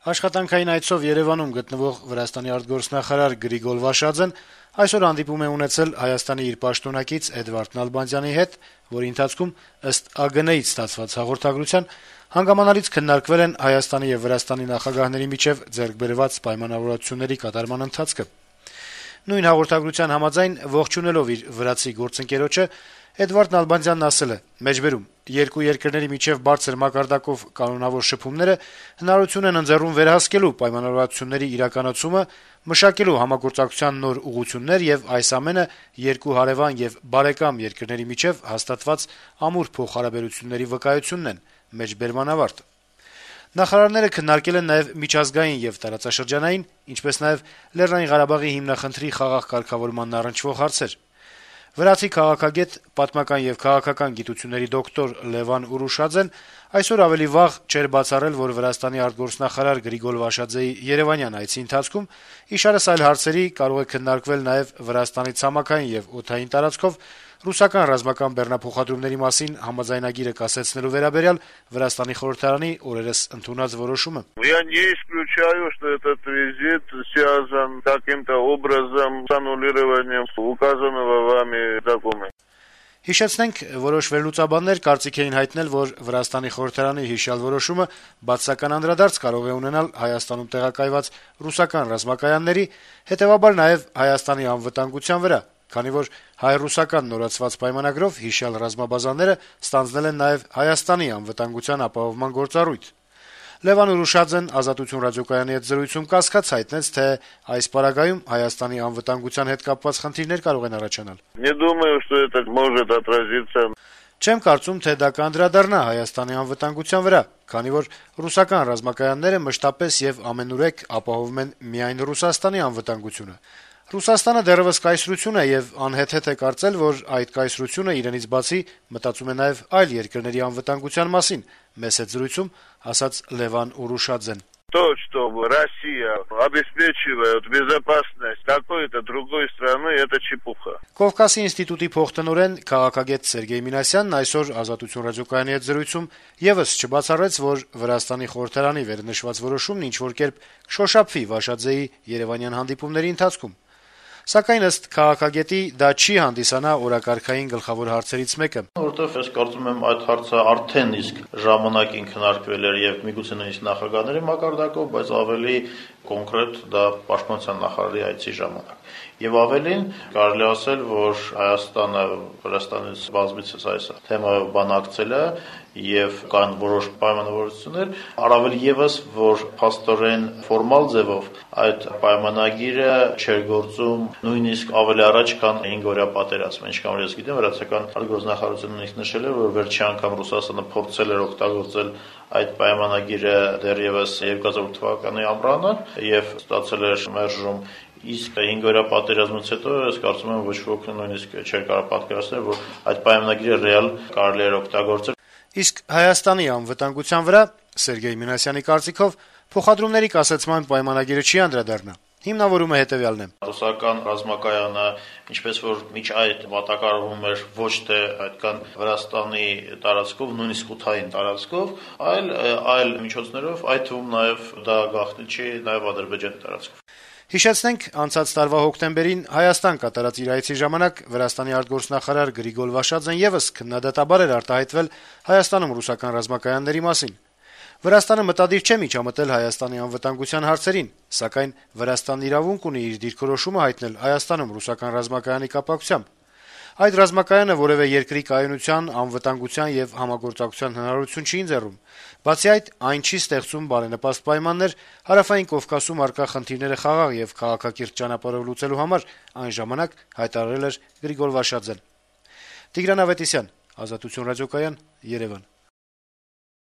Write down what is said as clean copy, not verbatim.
Աշխատանքային այցով Երեւանում գտնվող Վրաստանի արտգործնախարար Գրիգոր Վաշաձեն այսօր հանդիպում է ունեցել Հայաստանի իր պաշտոնակից Էդվարդ Նալբանդյանի հետ, որի ընթացքում, ըստ ԱԳՆ-ից ստացված հաղորդագրության, հանգամանալից քննարկվել են Հայաստանի եւ Վրաստանի նախագահների միջեւ ձեռք բերված պայմանավորվածությունների կատարման ընթացքը։ Նույն հաղորդագրության համաձայն, ողջունելով իր վրացի գործընկերոջը, Էդվարդ Նալբանդյանն ասել է. «Մեջբերում երկու երկրների միջև բարձր մակարդակով կանոնավոր շփումները հնարավորություն են ընձեռում վերահսկելու պայմանավորվածությունների իրականացումը, մշակելու համագործակցության նոր ուղղություններ եւ այս ամենը երկու հարեւան եւ բարեկամ երկրների միջև հաստատված ամուր փոխհարաբերությունների վկայությունն են»։ Մեջբերման ավարտ։ Նախարարները քննարկել են նաեւ միջազգային եւ տարածաշրջանային, ինչպես նաեւ Լեռնային Ղարաբաղի հիմնախնդրի խաղաղ կարգավորմանն առնչվող հարցեր։ Վրացի քաղաքագետ, պատմական եւ քաղաքական գիտությունների դոկտոր Լևան Ուրուշաձեն այսօր ավելի վաղ չէր բացառել, որ Վրաստանի արտգործնախարար Գրիգոր Վաշաձեի Երեւանյան այցի ընթացքում իշարս այլ հարցերի կարող է քննարկվել նաեւ Վրաստանի ցամաքային եւ օդային տարածքով ռուսական ռազմական բեռնափոխադրումների մասին համաձայնագիրը կասեցնելու վերաբերյալ Վրաստանի խորհրդարանի օրերս ընդունած որոշումը։ Я не исключаю, что этот визит связан каким-то образом с аннулированием указанного вами документа. Հիշեցնենք, որոշ վերլուծաբաններ կարծիք էին հայտնել, որ Վրաստանի խորհրդարանի հիշյալ որոշումը բացասական անդրադարձ կարող է ունենալ Հայաստանում տեղակայված ռուսական ռազմակայանների, հետեւաբար նաեւ Հայաստանի անվտանգության վրա, քանի որ հայ-ռուսական նորացված պայմանագրով հիշյալ ռազմաբազաները ստանձնել են նաեւ Հայաստանի անվտանգության ապահովման գործառույթ։ Լևան Ուրուշաձեն «Ազատություն» ռադիոկայանի հետ զրույցում կասկած հայտնեց, թե այս պարագայում Հայաստանի անվտանգության հետ կապված խնդիրներ կարող են առաջանալ։ Не думаю, что это может отразиться. Չեմ կարծում, թե դա կանդրադառնա Հայաստանի անվտանգության վրա, քանի որ ռուսական ռազմակայանները մշտապես եւ ամենուրեք ապահովում են միայն Ռուսաստանի անվտանգությունը։ Ռուսաստանը դեռևս կայսրություն է եւ անհեթեթ է կարծել, որ այդ կայսրությունը իրենից բացի մտածում է նաեւ այլ երկրների անվտանգության մասին, մեծ հետ զրույցում ասաց Լևան Ուրուշաձեն։ То, что Россия обеспечивает безопасность какой-то другой страны, это чепуха. Կովկասի ինստիտուտի փոխտնօրեն քաղաքագետ Սերգեյ Մինասյանն այսօր «Ազատություն» ռադիոկայանի հետ զրույցում եւս չբացառեց, որ Վրաստանի խորհրդարանի վերնշված որոշումն ինչ-որ կերպ կշոշափվի Վաշաձեի Երեւանյան հանդիպումների ընթացքում։ Սակայն ըստ քաղաքագետի դա չի հանդիսանա օրակարգային գլխավոր հարցերից մեկը։ Որովհետեւ ես կարծում եմ այդ հարցը արդեն իսկ ժամանակին քննարկվել էր եւ միգուցե նույնիսկ նախագահների մակարդակով, բայց ավելի կոնկրետ դա պաշտպանության նախարարի այցի ժամանակ։ Եվ ավելին կարելի ասել, որ Հայաստանը Վրաստանից բազմիցս այս թեմայով բանակցել է եւ կան որոշ պայմանավորվածություններ, առավել եւս, որ փաստորեն ֆորմալ ձևով այդ պայմանագիրը չէր գործում նույնիսկ ավելի առաջ, քան 5-օրյա պատերազմը, ինչքան որ ես գիտեմ, վրացական արտգործնախարարությունը նույնիսկ նշել է, որ վերջի անգամ Ռուսաստանը փորձել էր օգտագործել այդ պայմանագիրը դեռևս 2008 թվականի ամռանը եւ ստացել էր մերժում, իսկ 5-օրյա պատերազմից հետո ես կարծում եմ ոչ ոք նույնիսկ չէր կարող պատկերացնել, որ այդ պայմանագիրը ռեալ կարելի էր օգտագործել։ Իսկ Հայաստանի անվտանգության վրա Սերգեյ Մինասյանի կարծիքով փոխադրումների կասեցման պայմանագիրը չի անդրադառնա։ Հիմնավորումը հետեւյալն է. Ռուսական ռազմակայանը, ինչպես որ միջ այդ մատակարարվում էր ոչ թե այդքան Վրաստանի տարածքով, նույնիսկ օդային տարածքով, այլ միջոցներով, այդ թվում նաեւ դա գաղտնի չի նաեւ Ադրբեջանի տարածքով։ Հիշեցնենք, անցած տարվա հոկտեմբերին Հայաստան կատարած իր այցի ժամանակ Վրաստանի արտգործնախարար Գրիգոր Վաշաձեն եւս քննադատաբար էր արտահայտվել Հայաստանում ռուսական ռազմակայանների մասին։ Վրաստանը մտադիր չէ միջամտել Հայաստանի անվտանգության հարցերին, սակայն Վրաստանն իրավունք ունի իր դիրքորոշումը հայտնել Հայաստանում ռուսական ռազմակայանի կապակցությամբ։ Այդ ռազմակայանը որևէ երկրի կայունության, անվտանգության եւ համագործակցության հնարավորություն չի ընձեռում։ Բացի այդ, այն չի ստեղծում բարենպաստ պայմաններ Հարավային Կովկասում առկա խնդիրները խաղաղ եւ քաղաքակիրթ ճանապարհով լուծելու համար, այն ժամանակ հայտարարել էր Գրիգոր Վաշաձեն։ Տիգրան Ավետիսյան, Ազատություն ռադիոկայան, Երևան։